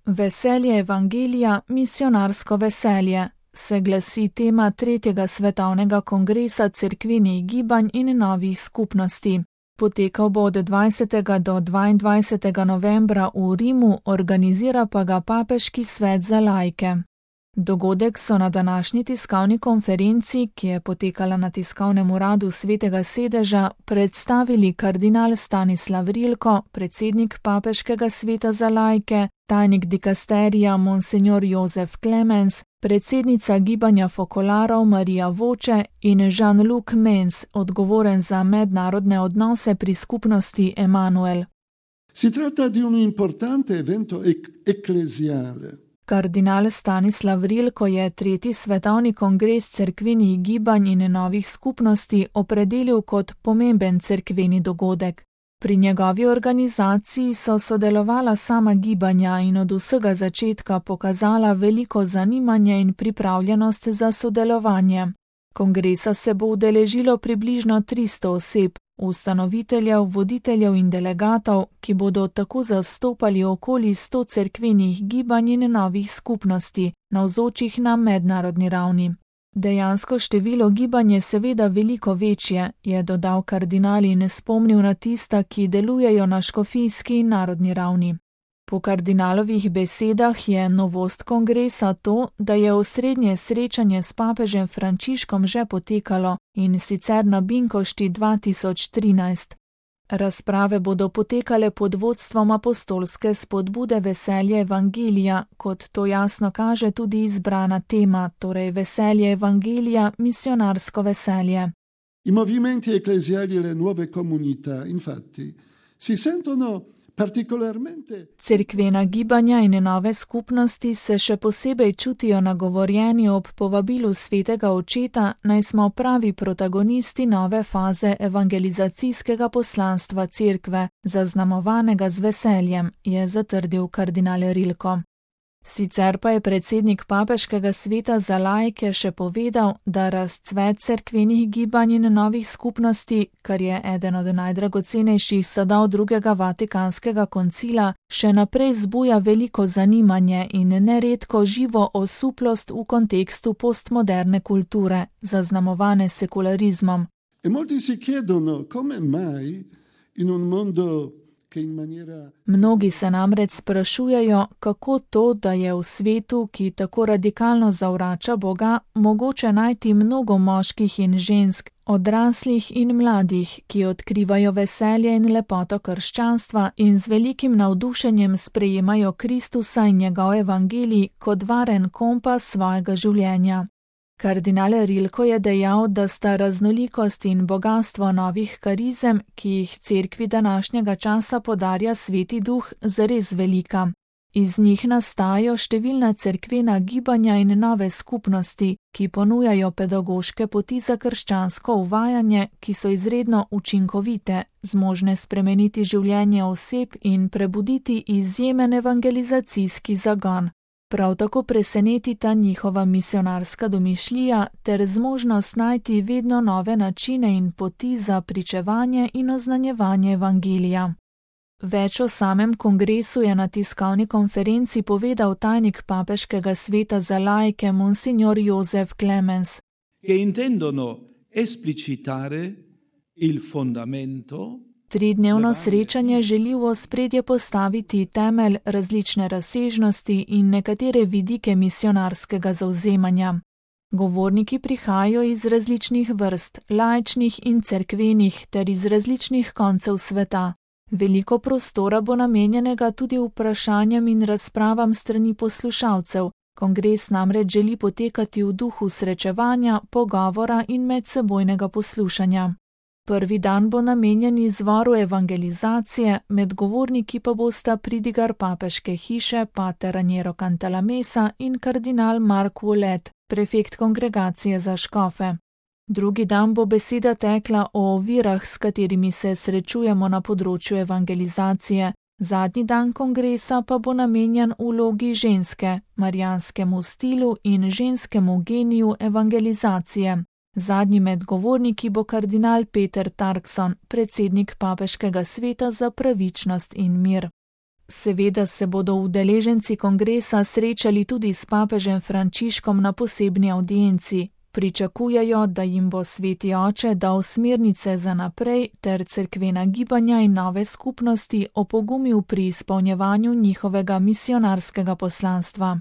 Veselje evangelija, misionarsko veselje, se glasi tema 3. svetovnega kongresa cerkvenih gibanj in novih skupnosti. Potekal bo od 20. do 22. novembra v Rimu, organizira pa ga Papeški svet za laike. Dogodek so na današnji tiskovni konferenci, ki je potekala na tiskovnem uradu Svetega sedeža, predstavili kardinal Stanislav Rilko, predsednik Papeškega sveta za laike, tajnik dikasterija Monsignor Jozef Clemens, predsednica gibanja fokolarov Marija Voče in Jean-Luc Mens, odgovoren za mednarodne odnose pri skupnosti Emanuel. Si tratta di un importante evento ecclesiale. Kardinal Stanislav Rilko je 3. svetovni kongres cerkvenih gibanj in novih skupnosti opredelil kot pomemben cerkveni dogodek. Pri njegovi organizaciji so sodelovala sama gibanja in od vsega začetka pokazala veliko zanimanje in pripravljenost za sodelovanje. Kongresa se bo udeležilo približno 300 oseb, ustanoviteljev, voditeljev in delegatov, ki bodo tako zastopali okoli 100 cerkvenih gibanj in novih skupnosti, navzočih na mednarodni ravni. Dejansko število gibanj je seveda veliko večje, je dodal kardinal in spomnil na tista, ki delujejo na škofijski in narodni ravni. Po kardinalovih besedah je novost kongresa to, da je osrednje srečanje s papežem Frančiškom že potekalo, in sicer na Binkošti 2013. Razprave bodo potekale pod vodstvom apostolske spodbude Veselje evangelija, kot to jasno kaže tudi izbrana tema, torej Veselje evangelija, misionarsko veselje. I movimenti ecclesiali e le nuove comunità, infatti, si sentono particolarmente. Cerkvena gibanja in nove skupnosti se še posebej čutijo nagovorjeni ob povabilu svetega očeta, naj smo pravi protagonisti nove faze evangelizacijskega poslanstva cerkve, zaznamovanega z veseljem, je zatrdil kardinal Rilko. Sicer pa je predsednik Papeškega sveta za laike še povedal, da razcvet cerkvenih gibanj in novih skupnosti, kar je eden od najdragocenejših sadov drugega Vatikanskega koncila, še naprej zbuja veliko zanimanje in neredko živo osuplost v kontekstu postmoderne kulture, zaznamovane sekularizmom. E molti si chiedono come mai in un mondo. Mnogi se namreč sprašujejo, kako to, da je v svetu, ki tako radikalno zavrača Boga, mogoče najti mnogo moških in žensk, odraslih in mladih, ki odkrivajo veselje in lepoto krščanstva in z velikim navdušenjem sprejemajo Kristusa in njegov evangelij kot varen kompas svojega življenja. Kardinal Rilko je dejal, da sta raznolikost in bogastvo novih karizem, ki jih cerkvi današnjega časa podarja Sveti Duh, zares velika. Iz njih nastajajo številna cerkvena gibanja in nove skupnosti, ki ponujajo pedagoške poti za krščansko uvajanje, ki so izredno učinkovite, zmožne spremeniti življenje oseb in prebuditi izjemen evangelizacijski zagon. Prav tako presenetita njihova misionarska domišljija ter zmožnost najti vedno nove načine in poti za pričevanje in oznanjevanje evangelija. Več o samem kongresu je na tiskovni konferenci povedal tajnik Papeškega sveta za laike Monsignor Jozef Clemens. Che intendono esplicitare il fondamento. Tridnevno srečanje želi v ospredje postaviti temelj, različne razsežnosti in nekatere vidike misionarskega zavzemanja. Govorniki prihajajo iz različnih vrst, laičnih in cerkvenih, ter iz različnih koncev sveta. Veliko prostora bo namenjenega tudi vprašanjem in razpravam strani poslušalcev. Kongres namreč želi potekati v duhu srečevanja, pogovora in medsebojnega poslušanja. Prvi dan bo namenjen izvoru evangelizacije, med govorniki pa bosta pridigar papeške hiše pater Raniero Cantalamessa in kardinal Mark Ouellet, prefekt kongregacije za škofe. Drugi dan bo beseda tekla o ovirah, s katerimi se srečujemo na področju evangelizacije. Zadnji dan kongresa pa bo namenjen vlogi ženske, marijanskemu stilu in ženskemu geniju evangelizacije. Zadnji med govorniki bo kardinal Peter Turkson, predsednik Papeškega sveta za pravičnost in mir. Seveda se bodo udeleženci kongresa srečali tudi s papežem Frančiškom na posebni avdienci. Pričakujejo, da jim bo Sveti oče dal smernice za naprej ter cerkvena gibanja in nove skupnosti opogumil pri izpolnjevanju njihovega misionarskega poslanstva.